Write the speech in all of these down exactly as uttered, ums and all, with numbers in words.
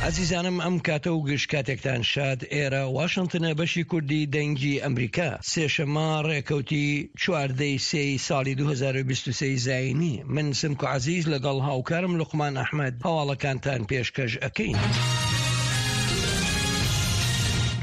ئازیزانم ئەم کاتە و گشت کاتێکتان شاد. ئێرە واشنتنە، بەشی کوردی دەنگی ئەمریکا. سێشەممە ڕێکەوتی چواردەی سێی ساڵی دوو هەزار و بیست و سێ زایینی. من سمکۆ عەزیز لەگەڵ هاوکارم لوقمان ئەحمەد هەواڵەکانتان پێشکەش ئەکەین.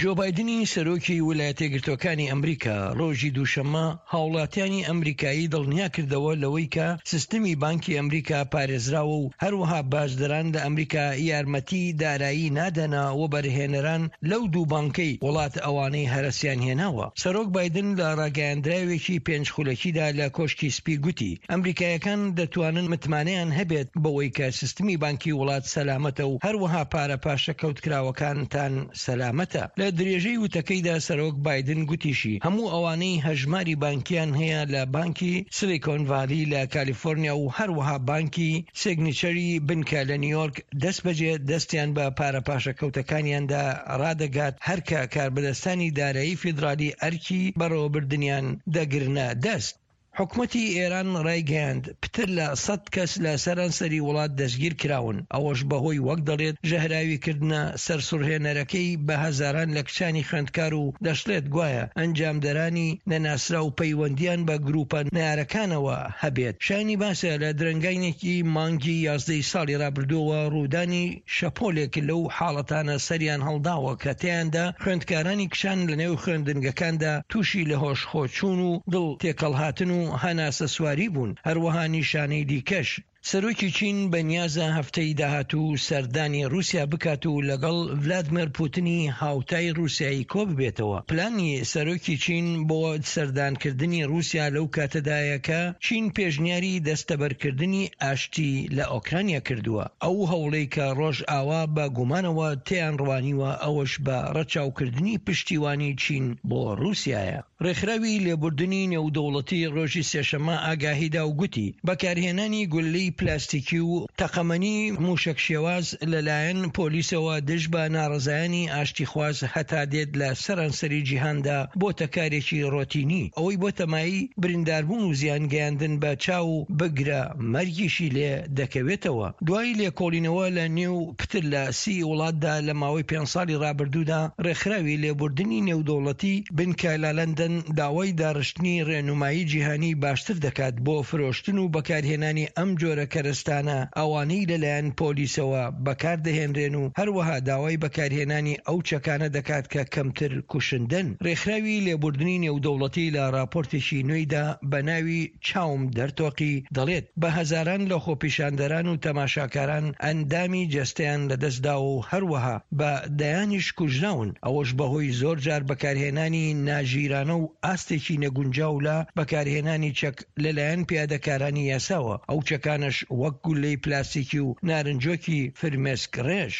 جۆ بایدنی سەرۆکی ویلایەتە یەکگرتووەکانی ئەمریکا ڕۆژی دووشەممە هاوڵاتیانی ئەمریکایی دڵنیا کردەوە لەوەی کە سیستمی بانکی ئەمریکا پارێزراوە و هەروەها باجدەران لە ئەمریکا یارمەتی دارایی نادەنە وەبەرهێنەران لەو دوو بانکەی وڵات ئەوانەی هەرەسیان هێناوە. سەرۆک بایدن لە ڕاگەیاندراوێکی پێنج خولەکیدا لە کۆشکی سپی گوتی ئەمریکایەکان دەتوانن متمانەیان هەبێت بەوەی کە سیستمی بانکی وڵات سەلامەتە و هەروەها پارە پاشەکەوتکراوەکانتان سەلامەتە. لە درێژەی وتەکەیدا سەرۆک بایدن گوتیشی هەموو ئەوانەی هەژماری بانکیان هەیە لە بانکی سیلیکۆن ڤالی لە کالیفۆرنیا و هەروەها بانکی سیگنیچەری بنکە لە نیویۆرک دەستبەجێ دەستیان بە پارە پاشەکەوتەکانیاندا ڕادەگات هەرکە کاربەدەستانی دارایی فیدرالی ئەرکی بەڕێوەبردنیان دەگرنە دەست. حکومەتی ئێران ڕایگەیاند، پتر لە سەد کەس لە سەرانسەری وڵات دەستگیرکراون، ئەوەش بەهۆی وەک دەڵێت ژەهراویکردنە سەرسوڕهێنەرەکەی بە هەزاران لە کچانی خوێندکار و دەشڵێت گوایە ئەنجامدەرانی نەناسراو پەیوەندییان بە گروپە نەیارەکانەوە هەبێت. شایانی باسە لە درەنگانێکی مانگی یازدەی ساڵی ڕابردووەوە ڕوودانی شەپۆلێک لەو حاڵەتانە سەریان هەڵداوە کە تیایاندا خوێندکارانی کچان لەنێو خوێندنگەکاندا تووشی لەهۆشخۆچوون و دڵ تێکەڵهاتن و هەناسەسواری بوون، هەروەها نیشانەی دیکەش. سەرۆکی چین بەنیازە هەفتەی داهاتوو سەردانی رووسیا بکات و لەگەڵ ڤلادمێر پوتنی هاوتای رووسیایی کۆببێتەوە. پلانی سەرۆکی چین بۆ سەردانکردنی رووسیا لەو کاتەدایە کە چین پێشنیاری دەستەبەرکردنی ئاشتی لە ئۆکرانیا کردووە، ئەو هەوڵەی کە ڕۆژئاوا بە گومانەوە تێیان ڕوانیوە، ئەوەش بە ڕەچاوکردنی پشتیوانی چین بۆ رووسیایە. ڕێکخراوی لێبوردنی نێودەوڵەتی ڕۆژی سێشەممە ئاگاهیدا و گوتی، بەکارهێنانی گوللەی پلاستیکی و تەقەمەنی موشەک شێواز لەلایەن پۆلیسەوە دژ بە ناڕەزایانی ئاشتیخواز هەتا دێت لە سەرانسەری جیهاندا بۆتە کارێکی ڕۆتینی، ئەوەی بۆتە مایەی برینداربوون و زیان گەیاندن بە چاو و بگرە مەرگیشی لێ دەکەوێتەوە. دوای لێکۆڵینەوە لە نێو پتر لە سی وڵاتدا لە ماوەی پێنج ساڵی ڕابردوودا، ڕێکخراوی لێبوردنی نێودەوڵەتی بنکە لە لەندەن داوای داڕشتنی ڕێنومایی جیهانی باشتر دەکات بۆ فرۆشتن و بەکارهێنانی ئەم جۆرە کەرەستانە ئەوانەی لەلایەن پۆلیسەوە بەکاردەهێنرێن و هەروەها داوای بەکارهێنانی ئەو چەکانە دەکات کە کەمتر کوشندەن. ڕێکخراوی لێبوردنی نێودەوڵەتی لە ڕاپۆرتێکی نوێیدا بە ناوی چاوم دەرتۆقی دەڵێت، بە هەزاران لە خۆپیشاندەران و تەماشاکاران ئەندامی جەستەیان لەدەستداوە و هەروەها بە دەیانیش کوژراون، ئەوەش بەهۆی زۆر جار بەکارهێنانی ناژیرانە و ئاستێکی نەگونجاو لە بەکارهێنانی چەک لەلایەن پیادەکارانی یاساوە، ئەو چەکانەش وەک گوللەی پلاستیکی و نارنجۆکی فرمێسک ڕێژ.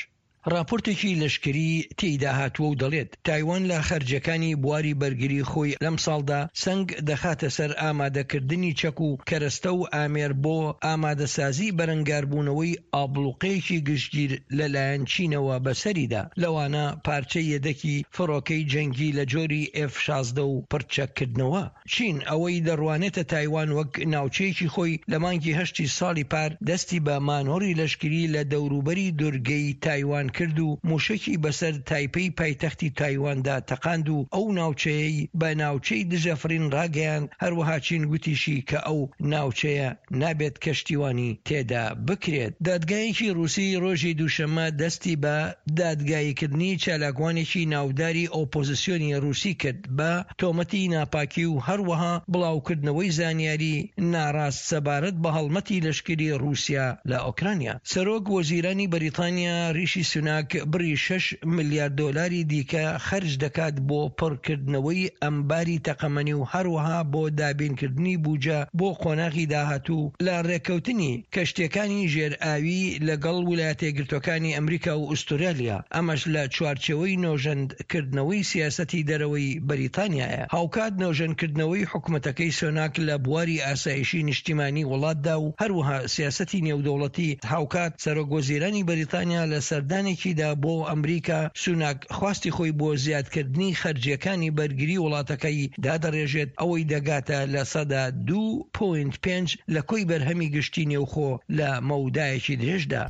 ڕاپۆرتێکی لەشکری تێیدا هاتووە و دەڵێت، تایوان لە خەرجیەکانی بواری بەرگری خۆی لەمساڵدا سەنگ دەخاتە سەر ئامادەکردنی چەک و کەرەستە و ئامێر بۆ ئامادەسازی بەرەنگاربوونەوەی ئابڵوقەیەکی گشتگیر لەلایەن چینەوە بەسەریدا، لەوانە پارچەی یەدەکی فڕۆکەی جەنگی لە جۆری ئێف شازدە و پڕچەککردنەوە. چین ئەوەی دەڕوانێتە تایوان وەک ناوچەیەکی خۆی، لە مانگی هەشتی ساڵی پار دەستی بە مانۆڕی لەشکری لە دەوروبەری دورگەی تایوان کرد و موشەکی بەسەر تایپەی پایتەختی تایواندا تەقاند و ئەو ناوچەیەی بە ناوچەی دژەفڕین ڕاگەیاند، هەروەها چین گوتیشی کە ئەو ناوچەیە نابێت کەشتیوانی تێدا بکرێت. دادگایەکی ڕووسی ڕۆژی دووشەممە دەستی بە دادگاییکردنی چالاکوانێکی ناوداری ئۆپۆزسیۆنی ڕووسی کرد بە تۆمەتی ناپاکی و هەروەها بڵاوکردنەوەی زانیاری ناڕاست سەبارەت بە هەڵمەتی لەشکری ڕووسیا لە ئۆکرانیا. سەرۆک وەزیرانی بەریتانیا ریشی سوناک بڕی شەش ملیار دۆلاری دیکە خەرج دەکات بۆ پڕکردنەوەی ئەمباری تەقەمەنی و هەروەها بۆ دابینکردنی بوجە بۆ قۆناغی داهاتوو لە ڕێککەوتنی کەشتیەکانی ژێر ئاوی لەگەڵ ولایەتەیەکگرتوەکانی ئەمریکا و ئوسترالیا، ئەمەش لە چوارچێوەی نۆژەند کردنەوەی سیاسەتی دەرەوەی بەریتانیایە. هاوکات نۆژەنکردنەوەی حکومەتەکەی سۆناک لە بواری ئاسایشی نیشتیمانی وڵاتدا و هەروەها سیاسەتی نێودەوڵەتی، هاوکات سەرۆک وەزیرانی بەریتانیا لە سەردانێکیدا بۆ ئەمریکا سوناک خواستی خۆی بۆ زیادکردنی خەرجیەکانی بەرگری وڵاتەکەی دادەڕێژێت ئەوەی دەگاتە لە سەدا دوو پۆینت پێنج لە کۆی بەرهەمی گشتی نێوخۆ لە مەودایەکی درێژدا.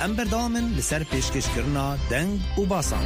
Em berdewam in li ser pêşkêşkirina deng û basan.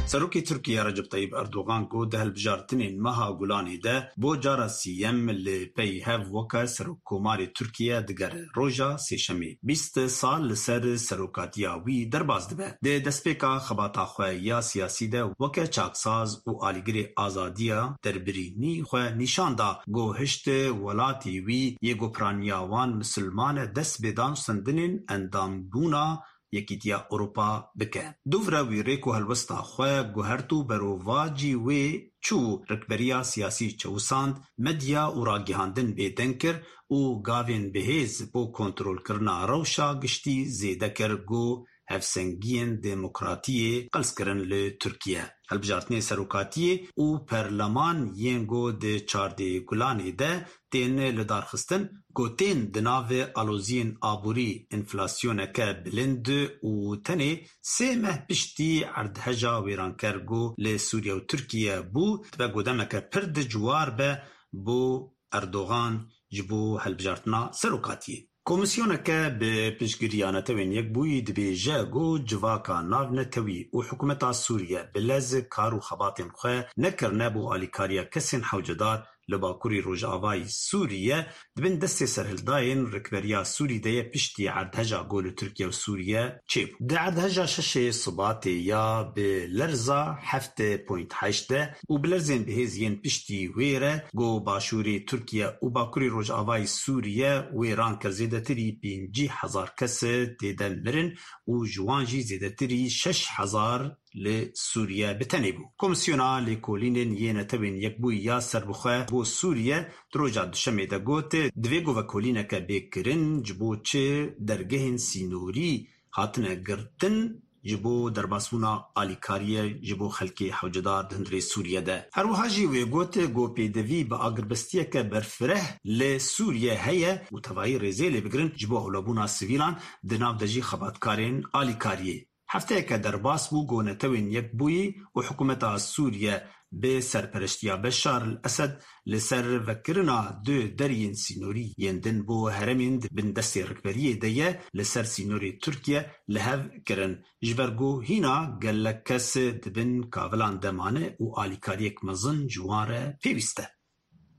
Serokê Tirkiye Recep Tayyip Erdogan ku di hilbijartinên meha Gulanê de bo cara siyem li pey hev weke Serokkomarê Tirkiye digere roja sêşemê bîst sal li ser serokatiya wî derbas dibe. Di destpêka xebata xwe ya siyasî de weke çaksaz û alîgirê azadiya derbirînî xwe nîşan da ku hişt welatê wî yê ku piraniya wan misilman e dest bi danûstandinên endambûna Yekîtiya Ewropa bike. Dûvre wî rêk û helwesta xwe guhert û berovacî wê çû rikberiya siyasî çewisand, medya û ragihandin bêdeng kir û gavên bihêz bo kontrolkirina rewşa giştî zêde kir ku hevsengiyên demokratiyê qels kirin li Tirkiye. Hilbijartinên serokatiyê û perleman yên ku di çardeh Gulanê de tên lidarxistin ku tên di nav aloziyên aborî enflasyoneke bilind û tenê sê meh piştî erdheja wêranker ku li Sûriye û Tirkiye bû dibe ku demeke pir dijwar be bo Erdogan ji bo hilbijartina serokatiyê. Komîsyoneke bi piştgiriya Netewên Yekbûyî dibêje ku civaka navnetewî û hikûmeta Sûriye bi lez kar û xebatên xwe nekirine bo alîkariya kesên hewcedar li Bakurê Rojavayê Sûriye di bin destê serhildayên rikberiya Sûrî de ye piştî erdheja ku li Tirkiye û Sûriye çêbû. Di erdheja şeşê Sibatê ya bi lerza heft point heşt de û bi lerzên bihêz yên piştî wê re ku Başûrê Tirkiye û Bakurê Rojavayê Sûriye wêran kir zêdetirî pêncî hezar kes tê de mirin û ji wan jî zêdetirî şeş hezar li Sûriye bi tenê bû. Komîsyona Lêkolînên yê Netewên Yekbûyî ya serbixwe bo Sûriye di roja duşemê de got divê ku vekolîneke bê kirin ji bo çi dergehên sînorî hatine girtin ji bo derbasbûna alîkariyê ji bo xelkê hewcedar di hundirê Sûriye de. Her wiha jî wê got ku pêdivî bi agirbestiyeke berfireh li Sûriye heye û tevahî rêzê lê bigirin ji bo ewlebûna sivîlan di nav de jî xebatkarên alîkariyê. Hefteyeke derbas bû ku Netewên Yekbûyî û hikûmeta Sûriye bi serpereştiya Beşar el-Esed li ser vekirina du deriyên sînorî yên din bo herêmên di bin destê rikberiyê de ye li ser sînorê Tirkiye li hev kirin. Ji ber ku hîna gelek kes di bin kavilan de mane û alîkariyek mezin ji wan re pêwîst e.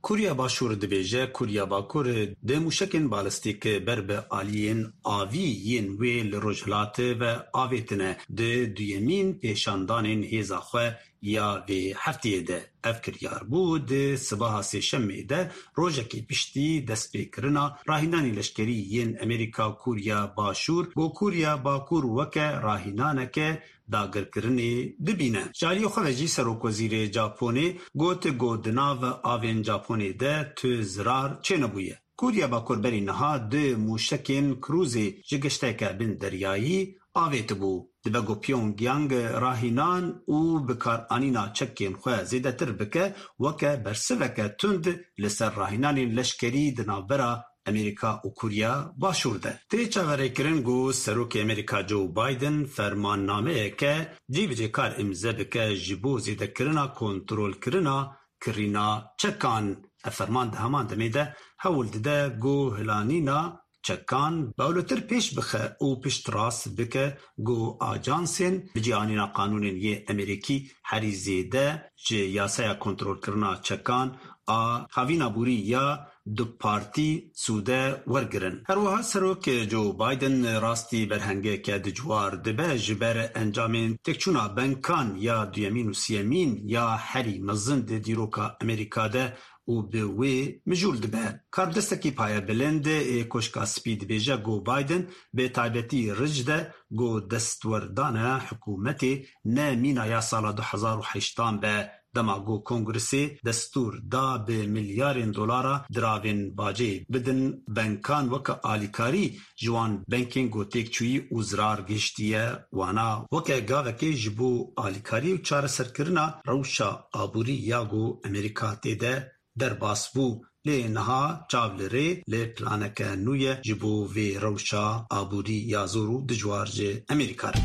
Koriya Başûr dibêje Koriya Bakur di mûşekên balistîk ber bi aliyên avî yên wê li Rojhilat ve avêtine di duyemîn pêşandanên hêza xwe ya vê hefteyê de. Ev kiryar bû di sibeha sêşemê de rojekê piştî destpêkirina rahînanên leşkerî yên Amerîka û Koriya Başûr bo Koriya Bakur weke rahînaneke dagirkirinê dibîne. Ji aliyê xwe ve jî Serokwezîrê Japonê got ku di nav avên Japonê de tu zirar çênebûye. Koriya Bakur berî niha du mûşekên krûzê ji geşteke bin deryayî avêtibû. Dibe ku Pyongyang rahînan û bikaranîna çekên xwe zêdetir bike weke bersiveke tund li ser rahînanên leşkerî di navbera Amerîka û Koriya Başûr de. Tê çaverêkirin ku Serokê Amerîka Joe Biden fermannameyeke cîbicîkar îmze bike ji bo zêdekirina kontrolkirina kirîna çekan. Ev ferman di heman demê de hewl dide ku hilanîna çekan bawletir pêş bixe û piştrast bike ku ajansên bicîanîna qanûnên yê Amerîkî herî zêde ji yasaya kontrolkirina çekan a havîna borî ya du partî sûde wergirin. Her wiha Serok Joe Biden rastî berhengeke dijwar dibe ji ber encamên têkçûna benkan ya duyemîn û sêyemîn ya herî mezin di dîroka Amerîka de û bi wê mijûl dibe. Karbidestekî payebilind ê Koşka Spî dibêje ku Biden bi taybetî ric de ku destwerdana hikûmetê ne mîna ya sala du hezar û heştan be dema ku Kongresê destûr da bi milyarên dolara diravên bacê bidin benkan weke alîkarî ji wan benkên ku têkçûyî û zirar gihiştiye wana weke gavekê ji bo alîkarî û çareserkirina rewşa aborî ya ku Amerîka tê de derbas bû. Lê niha çav li rê li planeke nû ye ji bo vê rewşa aborî ya zor û dijwar ji Amerîka re.